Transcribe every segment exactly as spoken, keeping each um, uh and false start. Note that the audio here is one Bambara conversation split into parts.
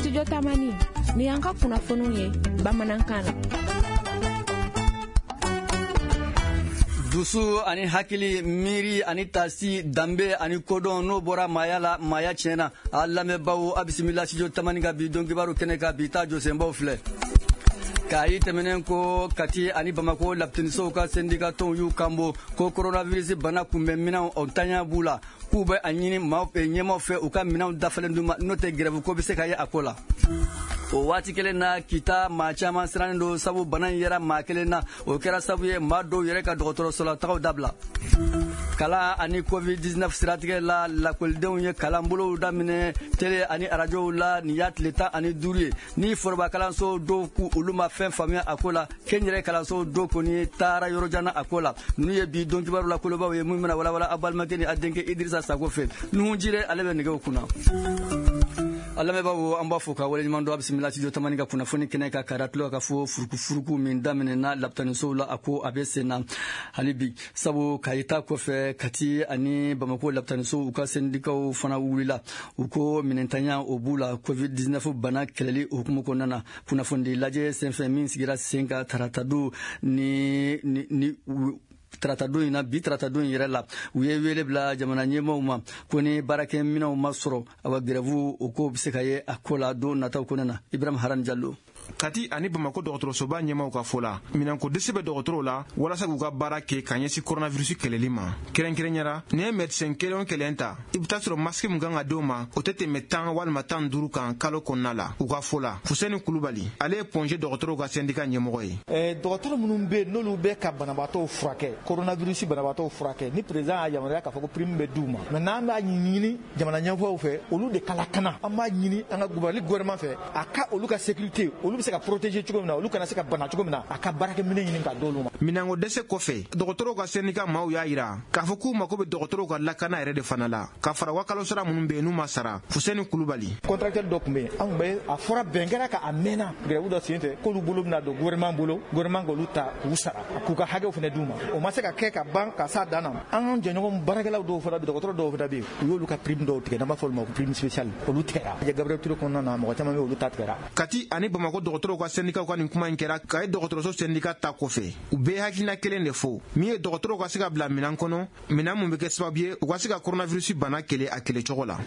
Studio Tamani, ni y'an ka kunnafoniw ye bamanankan na. Dusu ani hakili, miiri ani tasi, danbe ani kodɔn, n'o bɔra maaya la, maaya tiɲɛna. A lamɛnbaw, a bisimila Studio Tamani ka bi don kibaru kɛnɛ kan. Bi ta jɔsenbaw filɛ. K'a tɛmɛnen ko Kati ani Bamako lapitanisow ka sendika tɔnw y'u kanbɔ ko coronavirus bana kunbɛn minɛnw o ntanya b'u la, k'u bɛ a ɲini maaw ɲɛmaaw fɛ u ka minɛnw dafalen d'u ma, n'o tɛ grève ko bɛ se ka ye a ko la. O waati kelen na, Kita maa caman sirannen don, sabu bana in yera maa kelen na. O kɛra sabu ye maa dɔw yɛrɛ ka dɔgɔtɔrɔso la tagaw dabila. Kalan ani covid dix-neuf siratigɛ la, lakɔlidenw ye kalanbolow daminɛ télé ani arajow la. Nin y'a tile tan ani duuru ye ni foroba kalanso dɔw k'u olu ma fɛn faamuya a ko la. Kɛnyɛrɛ kalanso dɔw kɔni taara yɔrɔ jan na a ko la. Ninnu ye bi don kibaru la kolobaw ye min bɛna walawala a balimakɛ ni a denkɛ Idirisa Sako fɛ. Nuhu Jire, ale bɛ nɛgɛw kunna. A lamɛnbaaw, an b'a fɔ ka waleɲuman dɔn. A bisimila Studio Tamani ka kunnafoni kɛnɛ kan. K'a tulo ka fɔ furukufuruku min daminɛna lapitanisow la, a ko a bɛ sen na hali bi, sabu Kayi ta kɔfɛ, Kati ani Bamako lapitanisow u ka sendikaw fana wulila. U ko minɛntanya o b'u la covid dix-neuf bana kɛlɛli hukumu kɔnɔna na. Kunnafonidi lajɛ senfɛ min sigira sen kan taratadon ni ni ni taratadon in na, bi taratadon in yɛrɛ la, u ye wele bila jamana ɲɛmaaw ma ko ni baarakɛminɛnw ma sɔrɔ, awa, grève o ko bɛ se ka ye a ko la don nataw kɔnɔna na. Ibrahim Haran Jalo. Kati ani Bamako dɔgɔtɔrɔsoba ɲɛmaw ka fɔ la, minɛnko dɛsɛ bɛ dɔgɔtɔrɔw la walasa k'u ka baara kɛ ka ɲɛsin coronavirus kɛlɛli ma. Kɛrɛnkɛrɛnya la, n'i ye médecin kelen o kelen ta, i bɛ taa sɔrɔ masque min kan ka d'o ma, o tɛ tɛmɛ tan walima tan duuru kan kalo kɔnɔna la. U ka fɔ la, Fuseni Kulubali, ale ye Point G dɔgɔtɔrɔw ka syndicat ɲɛmɔgɔ ye. Ɛɛ dɔgɔtɔrɔ minnu bɛ yen, n'olu bɛ ka banabaatɔw furakɛ, coronavirus banabaatɔw furakɛ, ni président y'a yamaruya k'a fɔ ko prime bɛ d'u ma, mais n'an b'a ɲini jamana ɲɛmɔgɔw fɛ, olu de ka lakana. An b'a ɲini an ka Mali gouvernement fɛ, a ka olu ka sécurité, olu bɛ se ka protéger cogo min na, olu kana se ka bana cogo min na, a ka baarakɛminɛ ɲini ka d'olu ma. Minɛnko dɛsɛ kɔfɛ, dɔgɔtɔrɔw ka syndicat maaw y'a yira k'a fɔ k'u mako bɛ dɔgɔtɔrɔw ka lakana yɛrɛ de fana la, ka fara u ka kalosara minnu bɛ yen n'u ma sara. Fuseni Kulubali. Contractuel dɔ tun bɛ yen, an tun bɛ a fɔra bɛn kɛra ka a mɛnna grève dɔ sen fɛ, k'olu bolo bɛna don gouvernement bolo, gouvernement k'olu ta k'u sara, k'u ka hakɛw fana d'u ma. O ma se ka kɛ ka ban ka s'a dan na. An jɛɲɔgɔn baarakɛlaw dɔw fana bɛ, dɔgɔtɔrɔ dɔw fana bɛ yen, u y'olu ka prime dɔw tigɛ, n'an b'a fɔ olu ma ko prime spéciale, olu tigɛra. Gabriel Touré kɔnɔna na, mɔgɔ caman bɛ, olu ta tigɛra. Kati ani Bamako dɔgɔtɔrɔw ka syndicat ka nin kuma in kɛra Kayi dɔgɔtɔrɔso syndicat ta kɔfɛ. U bɛɛ hakilina kelen de fɔ, min ye dɔgɔtɔrɔw ka se ka bila minɛn kɔnɔ, minɛn mun bɛ kɛ sababu ye u ka se ka coronavirus bana kɛlɛ a kɛlɛcogo la.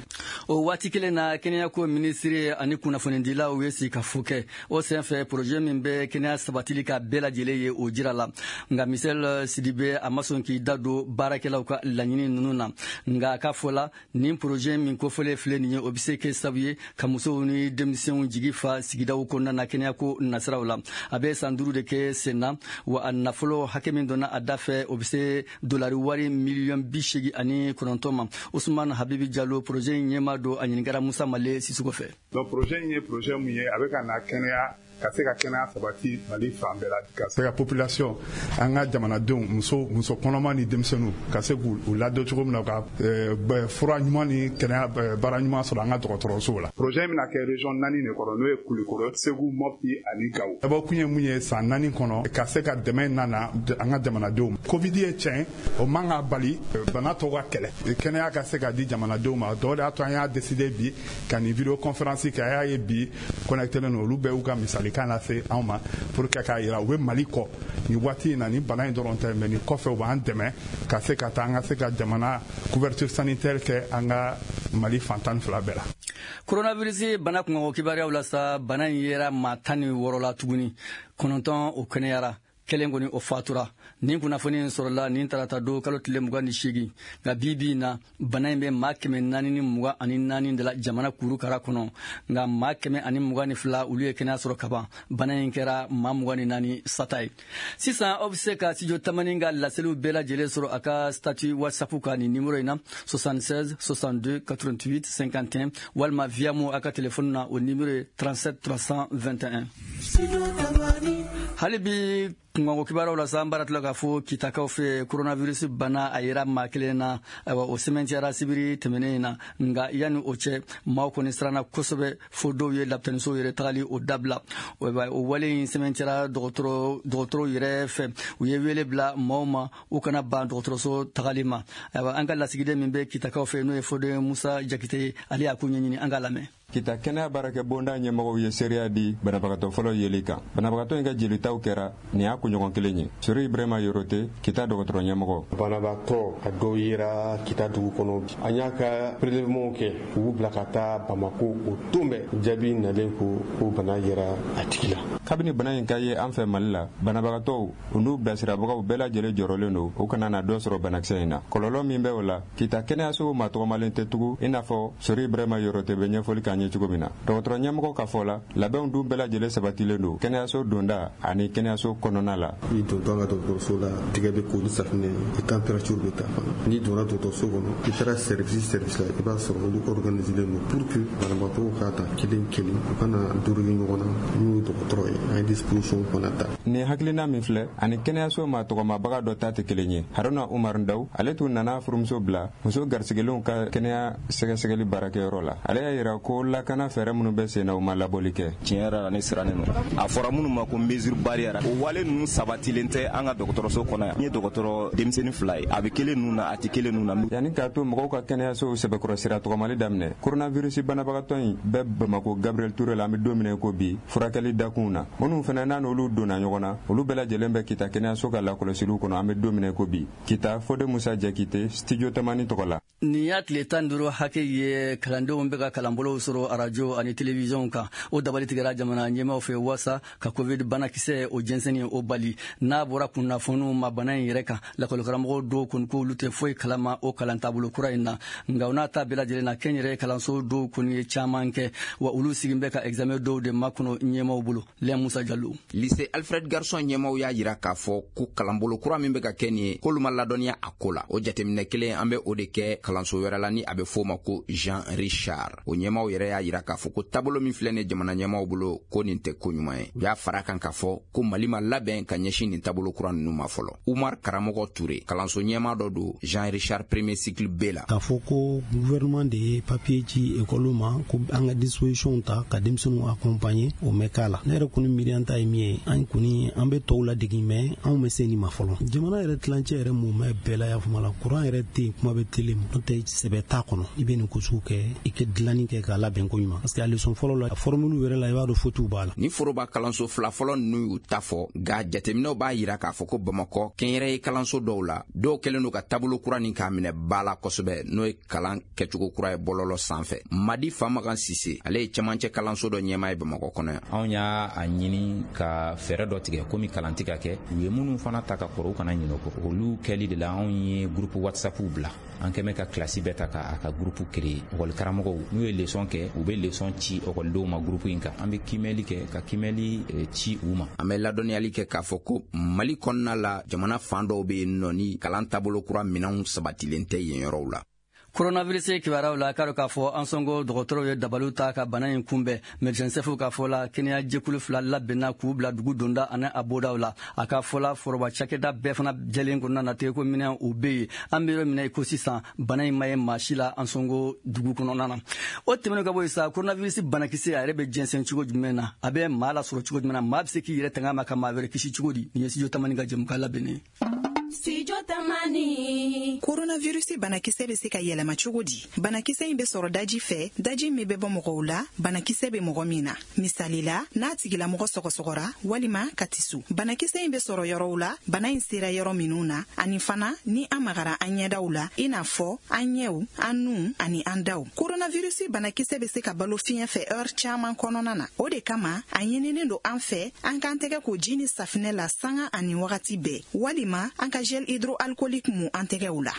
O waati kelen na, kɛnɛyako minisiri ani kunnafonidilaw ye sigikafo kɛ. O senfɛ, projet min bɛ kɛnɛya sabatili ka bɛɛ lajɛlen ye, o jira la. Nka Michel Sidibe, a ma sɔn k'i da don baarakɛlaw ka laɲini ninnu na. Nka a ka fɔ la, nin projet min kofɔlen filɛ nin ye, o bɛ se kɛ sababu ye ka musow ni denmisɛnw jigi fa sigidaw kɔnɔna na kɛnɛyako nasiraw la. A bɛ san duuru de kɛ sen na wa. A nafolo hakɛ min donna a da fɛ, o bɛ se dolari wari miliyɔn bi seegin ani kɔnɔntɔn ma. Usman Habibi Jalo, projet in ɲɛmaa don, a ɲininkara Musa Male Sisoko fɛ. Donc projet in ye projet mun ye, a bɛ ka na kɛnɛya, ka se ka kɛnɛya sabati Mali fan bɛɛ la, ka se ka population, an ka jamanadenw, muso muso kɔnɔma ni denmisɛnninw, ka se k'u ladon cogo min na, ka fura ɲuman ni kɛnɛya baara ɲuman sɔrɔ an ka dɔgɔtɔrɔsow la. Projet in bɛna kɛ région naani de kɔnɔ, n'o ye Kulukɔrɔ, Segu, Mopti ani Gawo. Dabɔ kun ye mun ye? San naani kɔnɔ, ka se ka dɛmɛ nana an ka jamanadenw ma. Covid ye tiɲɛ, o man ka bali bana tɔw ka kɛlɛ, kɛnɛya ka se ka di jamanadenw ma. Dɔw de y'a to an y'a décidé bi ka nin vidéo conférence kɛ. A y'a ye bi connecté len don, olu bɛɛ y'u ka misali kan lase anw ma pour que k'a yira u bɛ Mali kɔ nin waati in na. Ni bana in dɔrɔn tɛ, mais nin kɔfɛ u b'an dɛmɛ ka se ka taa an ka se ka jamana couverture sanitaire kɛ an ka Mali fan tan ni fila bɛɛ la. Coronavirus bana kunkanko kibaruyaw la sa, bana in yera maa tan ni wɔɔrɔ la tuguni. Kɔnɔntɔn o kɛnɛyara, kelen kɔni o fatura. Nin kunnafoni in sɔrɔla nin tarata don, kalo tile mugan ni seegin. Nka bi bi in na, bana in bɛ maa kɛmɛ naani ni mugan ani naani de la jamana kurukara kɔnɔ. Nka maa kɛmɛ ani mugan ni fila, olu ye kɛnɛya sɔrɔ kaban. Bana in kɛra maa mugan ni naani sata ye. Sisan aw bɛ se ka Studio Tamani ka laseliw bɛɛ lajɛlen sɔrɔ a ka statut WhatsApp kan nin numéro in na: soixante-seize soixante-deux quatre-vingt-huit cinquante et un, walima Viamo a ka téléphone na, o numéro ye trente-sept trois cent vingt et un. Hali bi kunkanko kibaruyaw la sa, an baara tila k'a fɔ Kitakaw fɛ, coronavirus bana a yera maa kelen na. Ayiwa, o sɛmɛntiyara sibiri tɛmɛnen in na. Nka yanni o cɛ, maaw kɔni siranna kosɛbɛ, fo dɔw ye lapitanisow yɛrɛ tagali o dabila. O wale in sɛmɛntiyara dɔgɔtɔrɔ dɔgɔtɔrɔw yɛrɛ fɛ. U ye wele bila maaw ma, u kana ban dɔgɔtɔrɔso tagali ma. Ayiwa, an ka lasigiden min bɛ Kitakaw fɛ, n'o ye Foden Musa Jakite ye, ale y'a ko ɲɛɲini. An k'a lamɛn. Kita kɛnɛya baarakɛ bonda ɲɛmɔgɔw ye seereya di banabagatɔ fɔlɔ yeli kan. Banabagatɔ in ka jelitaw kɛra nin y'a kunɲɔgɔn kelen ye. Sori Ibrahima Yorote, Kita dɔgɔtɔrɔ ɲɛmɔgɔ. Banabagatɔ a dɔw yera Kita dugu kɔnɔ. An y'a ka prélèvement kɛ k'u bila ka taa Bamako o don bɛɛ jaabi nalen ko ko bana yera a tigi la. Kabini bana in ka ye an fɛ Mali la, banabagatɔw u n'u bilasirabagaw bɛɛ lajɛlen jɔrɔlen don u kana na dɔ sɔrɔ banakisɛ in na. Kɔlɔlɔ min bɛ o la, Kita kɛnɛyaso ma tɔgɔmalen tɛ tugun i n'a fɔ Sori Ibrahima Yorote bɛ ɲɛfɔli k'an ye cogo min na. Dɔgɔtɔrɔ ɲɛmɔgɔ ka fɔ la, labɛnw dun bɛɛ lajɛlen sabatilen don kɛnɛyaso donda ani kɛnɛyaso kɔnɔna la. I dontɔ an ka dɔgɔtɔrɔso la, tigɛ bɛ ko ni safunɛ ye, température bɛ ta fana. N'i donna dɔgɔtɔrɔso kɔnɔ, i taara service service la, i b'a sɔrɔ olu organiselen don pour que banabagatɔw ka ta kelen kelen, u kana durugi ɲɔgɔn na. N'u ye dɔgɔtɔrɔ ye, an ye disposition fana ta. Nin hakilina min filɛ ani kɛnɛyaso ma tɔgɔmabaga dɔ ta tɛ kelen ye. Haruna Umar Ndaw, ale tun nana furumuso bila muso garisigɛlenw ka kɛnɛya sɛgɛsɛgɛli baarakɛyɔrɔ la. Ale y'a yira ko lakana fɛɛrɛ minnu bɛ sen na, u ma labɔli kɛ. Tiɲɛ yɛrɛ la, ne sirannen don. A fɔra minnu ma ko mesure barrière, o wale ninnu sabatilen tɛ an ka dɔgɔtɔrɔso kɔnɔ yan. N ye dɔgɔtɔrɔ denmisɛnnin fila ye, a bɛ kelen ninnu na, a tɛ kelen ninnu na. Yanni k'a to mɔgɔw ka kɛnɛyasow sɛbɛkɔrɔ sira tɔgɔmali daminɛ, coronavirus banabagatɔ in bɛ Bamako Gabriel Touré la an bɛ don min na ko bi, furakɛli dakunw na. Minnu fana n'a n'olu donna ɲɔgɔn na, olu bɛɛ lajɛlen bɛ Kita kɛnɛyaso ka lakɔlɔsiliw kɔnɔ an bɛ don min na ko bi. Kita, Fode Musa Jakite, Studio Tamani tɔgɔ la. Nin y'a tile tan duuru hakɛ ye kalandenw bɛ ka kalanbolow sɔrɔ arajo ani televiziyɔn kan. O dabali tigɛra jamana ɲɛmaaw fɛ waasa ka covid banakisɛ o jɛnsɛnni o bali. N'a bɔra kunnafoniw ma bana in yɛrɛ kan, lakɔlikaramɔgɔw dɔw kɔni ko olu tɛ foyi kalama o kalan taabolo kura in na. Nka o n'a ta bɛɛ lajɛlen na, kɛnyɛrɛye kalanso dɔw kɔni ye caman kɛ, wa olu sigin bɛ ka examen dɔw de makɔnɔ ɲɛmaaw bolo. Lɛn Musa Jalo. Lycée Alfred Garçon ɲɛmaaw y'a yira k'a fɔ ko kalanbolo kura min bɛ ka kɛ nin ye, k'olu ma ladɔnniya a ko la. O jateminɛ kelen an bɛ o de kɛ kalanso wɛrɛ la ni a bɛ f'o ma ko Jean Richard. O ɲɛmaaw yɛrɛ y'a yira k'a fɔ ko taabolo min filɛ nin jamana ɲɛmaaw bolo, ko nin tɛ ko ɲuman ye. U y'a fara kan k'a fɔ ko Mali ma labɛn ka ɲɛsin nin taabolo kura ninnu ma fɔlɔ. Umar Karamɔgɔ Ture, kalanso ɲɛmaa dɔ don Jean Richard premier cycle B la. K'a fɔ ko gouvernement de ye papier ci école ma ko an ka disposition ta ka denmisɛnninw accompagner, o mɛ k'a la. Ne yɛrɛ kɔni miiriya ta ye min ye, an kɔni an bɛ tɔw ladege, mais anw bɛ se nin ma fɔlɔ. Jamana yɛrɛ tilancɛ yɛrɛ mun bɛ bɛɛ la y'a faamu la, courant yɛrɛ tɛ yen, kuma bɛ télé ma, n'o tɛ sɛbɛ t'a kɔnɔ. I bɛ nin ko sugu kɛ, i kɛ dilanni kɛ k'a labɛn ko ɲuman, parce que a leçon fɔlɔ la, formule yɛrɛ la, i b'a dɔn faute b'a la. Ni foroba kalanso fila fɔlɔ ninnu y'u ta fɔ, nka jateminɛw b'a yira k'a fɔ ko Bamakɔ kɛnyɛrɛye kalanso dɔw la, dɔw kɛlen don ka taabolo kura nin k'a minɛ ba la kosɛbɛ, n'o ye kalan kɛcogo kura ye bɔlɔlɔ sanfɛ. Madi Famagan Sise, ale ye camancɛ kalanso dɔ ɲɛmaa ye Bamakɔ kɔnɔ yan. Anw y'a ɲini ka fɛɛrɛ dɔ tigɛ komi kalan tɛ ka kɛ, u ye minnu fana ta ka kɔrɔ u kana ɲinɛ o kɔ. Olu kɛli de la anw ye groupe WhatsApp bila. An kɛmɛ ka kilasi bɛɛ ta k'a ka groupe créer. Ekɔli karamɔgɔw n'u ye leçon kɛ, u bɛ leçon ci ekɔlidenw ma groupe in kan. An bɛ kimɛli kɛ ka kimɛli ci u ma. An bɛ ladɔnniyali kɛ k'a fɔ ko Mali kɔnɔna la, jamana fan dɔw bɛ yen nɔ ni kalan taabolo kura minɛnw sabatilen tɛ yen yɔrɔw la. Coronavirus kibaruyaw la, k'a dɔn k'a fɔ an sɔngo dɔgɔtɔrɔw ye dabaliw ta ka bana in kunbɛn. Médecin chef ka fɔ la, kɛnɛya jɛkulu fila labɛnna k'u bila dugu donda ani a bodaw la. A ka fɔ la, foroba cakɛda bɛɛ fana jɛlen kɔnɔna na, tɛgɛ ko minɛn o bɛ yen. An bɛ yɔrɔ min na i ko sisan, bana in ma ye maa si la an sɔngo dugu kɔnɔna na. O tɛmɛnen ka bɔ yen sa, coronavirus banakisɛ a yɛrɛ bɛ jɛnsɛn cogo jumɛn na, a bɛ maa lasɔrɔ cogo jumɛn na, maa bɛ se k'i yɛrɛ tanga ma ka maa wɛrɛ kisi cogo di? Nin ye Studio Tamani ka jɛmukan labɛnnen ye. Studio Tamani. Coronavirus banakisɛ bɛ se ka yɛlɛma cogo di? Banakisɛ in bɛ sɔrɔ daji fɛ, daji min bɛ bɔ mɔgɔw la, banakisɛ bɛ mɔgɔ min na. Misali la, n'a tigilamɔgɔ sɔgɔsɔgɔra walima ka tisu. Banakisɛ in bɛ sɔrɔ yɔrɔw la, bana in sera yɔrɔ minnu na, ani fana ni an magara an ɲɛdaw la, i n'a fɔ an ɲɛw, an nun ani an daw. Coronavirus banakisɛ bɛ se ka balo fiɲɛ fɛ heure caman kɔnɔna na. O de kama, a ɲininen don an fɛ, an k'an tɛgɛ ko ji ni safinɛ la sanga ani wagati bɛɛ, walima an ka gel hydroalcoolique mu an tɛgɛw la.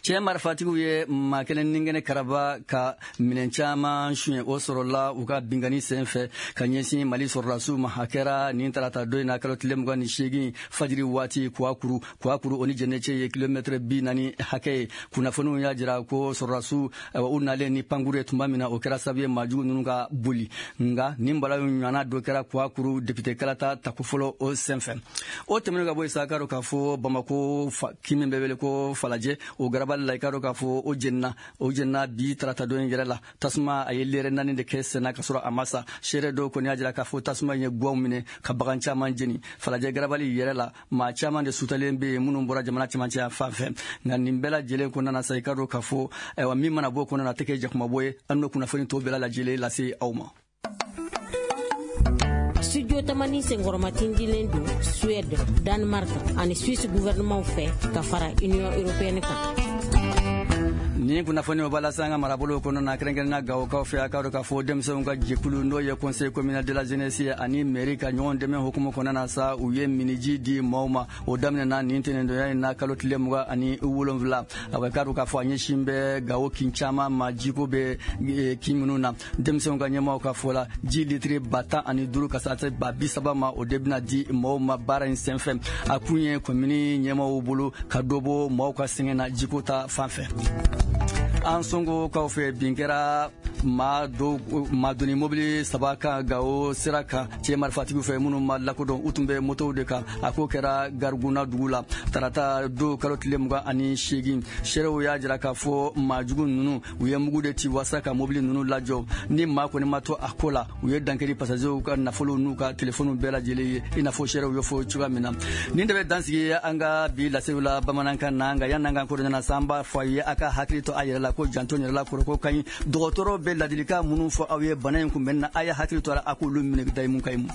Cɛ marifatigiw ye maa kelen ni kɛnɛ karaba ka minɛn caman suɲɛ, o sɔrɔla u ka binkanni sen fɛ ka ɲɛsin Mali sɔrɔdasiw ma. A kɛra nin tarata don in na, kalo tile mugan ni seegin fajiri waati, Kuwakuru Kuwakuru o ni Jɛnɛcɛ ye kilomɛtɛrɛ bi naani hakɛ ye. Kunnafoniw y'a jira ko sɔrɔdasiw u nalen ni pankuru ye tuma min na, o kɛra sababu ye maajugu ninnu ka boli. Nka nin bala ɲɔgɔnna dɔ kɛra Kuwakuru député kalata tako fɔlɔ o sen fɛ. O tɛmɛnen ka bɔ yen sa, k'a dɔn k'a fɔ Bamako kin min bɛ wele ko Falajɛ, o garaba garabali la, i k'a dɔn k'a fɔ o jenina o jenina bi tarata don in yɛrɛ la. Tasuma a ye lɛrɛ naani de kɛ senna ka sɔrɔ a ma sa. Seere dɔw kɔni y'a jira k'a fɔ tasuma in ye guwaw minɛ ka bagan caman jeni. Falajɛ garabali yɛrɛ la, maa caman de sutalen bɛ yen minnu bɔra jamana cɛmancɛ fan fɛ. Nka nin bɛɛ lajɛlen kɔnɔna na sa, i k'a dɔn k'a fɔ ayiwa min mana bɔ o kɔnɔna na, a tɛ kɛ jakumabɔ ye. An n'o kunnafoni tɔw bɛɛ lajɛlen lase aw ma. Studio Tamani senkɔrɔmatindilen don Suède, Danemark ani Suisse gouvernement fɛ ka fara Union européenne kan. Ni kunnafoni o b'a lase an ka marabolo kɔnɔ na, kɛrɛnkɛrɛnnenya Gawokaw fɛ. A k'a dɔn k'a fɔ denmisɛnw ka jɛkulu n'o ye conseil communal de la jeunesse ye ani mairie ka ɲɔgɔn dɛmɛ hukumu kɔnɔna na sa, u ye miniji di maaw ma. O daminɛna nin tɛnɛndonya in na, kalo tile mugan ani wolonwula. A k'a dɔn k'a fɔ a ɲɛsin bɛ Gawo kin caman ma, jiko bɛ kin minnu na. Denmisɛnw ka ɲɛmaaw ka fɔ la, ji litiri ba tan ani duuru ka se ba bi saba ma, o de bɛna di maaw ma baara in senfɛ. A kun ye komini ɲɛmaaw bolo ka dɔ bɔ maaw ka sɛgɛn na jiko ta fan fɛ. An Songokaw fɛ, bin kɛra maa dɔw maa doni mobili saba kan Gawo sira kan cɛ marifatigiw fɛ minnu ma lakodɔn. U tun bɛ motow de kan. A ko kɛra Gariguna dugu la tarata don, kalo tile mugan ani seegin. Seerew y'a jira k'a fɔ maajugu ninnu u ye mugu de ci walasa ka mobili ninnu lajɔ. Ni maa kɔni ma to a ko la, u ye dankari passagerw ka nafolow n'u ka telefɔniw bɛɛ lajɛlen ye, i n'a fɔ seerew y'o fɔ cogoya min na. Nin de bɛ dansigi an ka bi laseliw la bamanankan na. Nka yanni an k'an kodɔn ɲɛna sa, an b'a fɔ a ye a ka hakili to a yɛrɛ la ko janto yɛrɛ la kɔrɔ ko ka ɲi. Dɔgɔtɔrɔ bɛ ladilikan minnu fɔ aw ye bana in kunbɛnni na, a ye hakili to a la, a k'olu minɛ dayimu ka ɲi.